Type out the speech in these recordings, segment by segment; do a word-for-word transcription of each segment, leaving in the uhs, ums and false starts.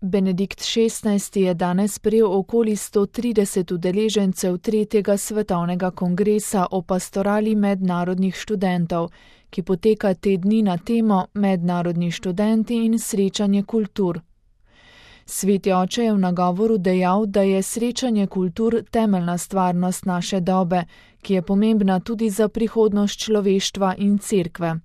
Benedikt šestnajsti je danes sprejel okoli sto trideset udeležencev tretjega svetovnega kongresa o pastorali mednarodnih študentov, ki poteka te dni na temo Mednarodni študenti in srečanje kultur. Sveti oče je v nagovoru dejal, da je srečanje kultur temeljna stvarnost naše dobe, ki je pomembna tudi za prihodnost človeštva in cerkve.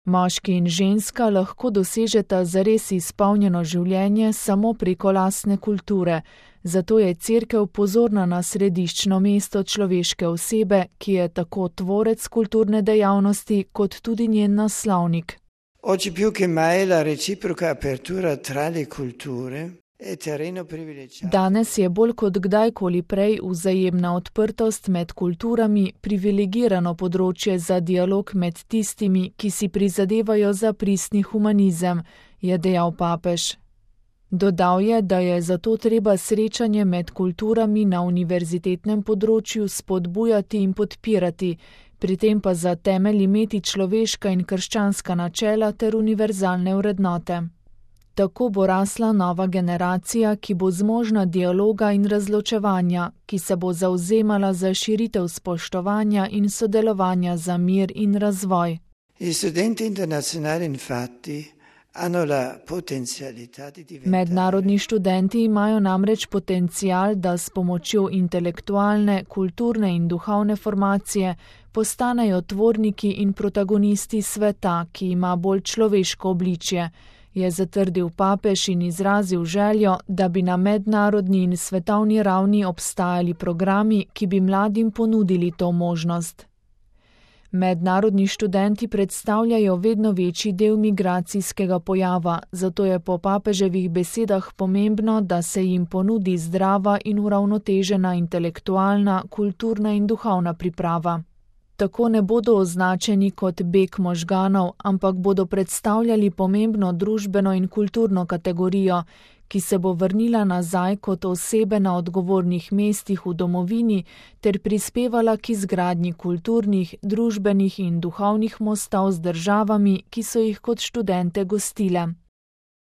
Moški in ženska lahko dosežeta zares izpolnjeno življenje samo preko lastne kulture, zato je cerkev pozorna na središčno mesto človeške osebe, ki je tako tvorec kulturne dejavnosti kot tudi njen naslovnik. Oggi più che mai la reciproca apertura tra le culture è terreno privilegiato. Danes je bolj kot kdajkoli prej vzajemna odprtost med kulturami privilegirano področje za dialog med tistimi, ki si prizadevajo za pristni humanizem, je dejal papež. Dodal je, da je zato treba srečanje med kulturami na univerzitetnem področju spodbujati in podpirati, pri tem pa za temelj imeti človeška in krščanska načela ter univerzalne vrednote. Tako bo rasla nova generacija, ki bo zmožna dialoga in razločevanja, ki se bo zavzemala za širitev spoštovanja in sodelovanja za mir in razvoj. Gli studenti internazionali infatti hanno la potenzialità di diventare. Mednarodni študenti imajo namreč potencial, da s pomočjo intelektualne, kulturne in duhovne formacije postanejo tvorniki in protagonisti sveta, ki ima bolj človeško obličje, je zatrdil papež in izrazil željo, da bi na mednarodni in svetovni ravni obstajali programi, ki bi mladim ponudili to možnost. Mednarodni študenti predstavljajo vedno večji del migracijskega pojava, zato je po papeževih besedah pomembno, da se jim ponudi zdrava in uravnotežena intelektualna, kulturna in duhovna priprava. Tako ne bodo označeni kot beg možganov, ampak bodo predstavljali pomembno družbeno in kulturno kategorijo, ki se bo vrnila nazaj kot osebe na odgovornih mestih v domovini ter prispevala k izgradnji kulturnih, družbenih in duhovnih mostov z državami, ki so jih kot študente gostile.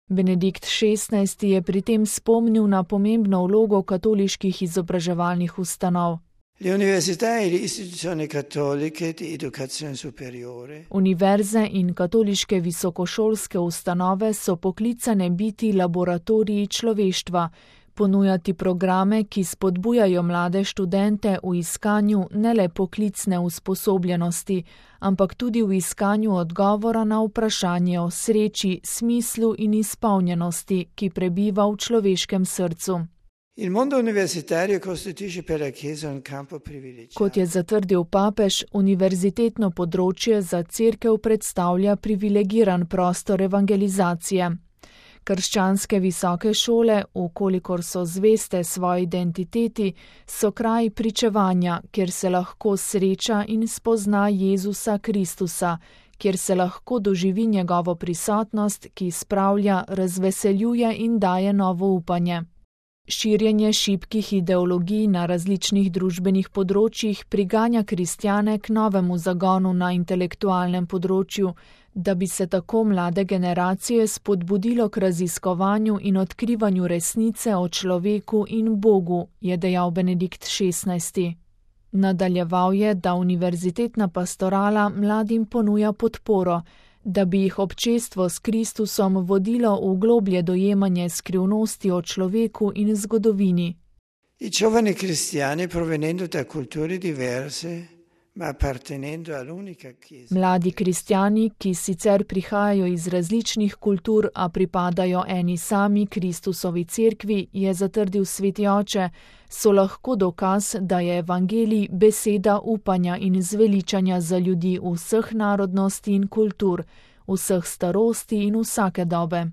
Benedikt šestnajsti je pri tem spomnil na pomembno vlogo katoliških izobraževalnih ustanov. Le università e le istituzioni cattoliche di educazione superiore. Univerze in katoliške visokošolske ustanove so poklicane biti laboratoriji človeštva, ponujati programe, ki spodbujajo mlade študente v iskanju ne le poklicne usposobljenosti, ampak tudi v iskanju odgovora na vprašanje o sreči, smislu in izpolnjenosti, ki prebiva v človeškem srcu. Il mondo universitario costituisce per la Chiesa un campo privilegiato. Kot je zatrdil papež, univerzitetno področje za cerkev predstavlja privilegiran prostor evangelizacije. Krščanske visoke šole, vkolikor so zveste svoji identiteti, so kraj pričevanja, kjer se lahko sreča in spozna Jezusa Kristusa, kjer se lahko doživi njegovo prisotnost, ki spravlja, razveseljuje in daje novo upanje. Širjenje šibkih ideologij na različnih družbenih področjih priganja kristjane k novemu zagonu na intelektualnem področju, da bi se tako mlade generacije spodbudilo k raziskovanju in odkrivanju resnice o človeku in Bogu, je dejal Benedikt šestnajsti. Nadaljeval je, da univerzitetna pastorala mladim ponuja podporo, da bi jih občestvo s Kristusom vodilo v globlje dojemanje skrivnosti o človeku in zgodovini. I giovani cristiani provenendo da culture diverse, ma appartenendo all'unica Chiesa. Mladi kristjani, ki sicer prihajajo iz različnih kultur, a pripadajo eni sami Kristusovi cerkvi, je zatrdil sveti oče, so lahko dokaz, da je evangelij beseda upanja in zveličanja za ljudi vseh narodnosti in kultur, vseh starosti in vsake dobe.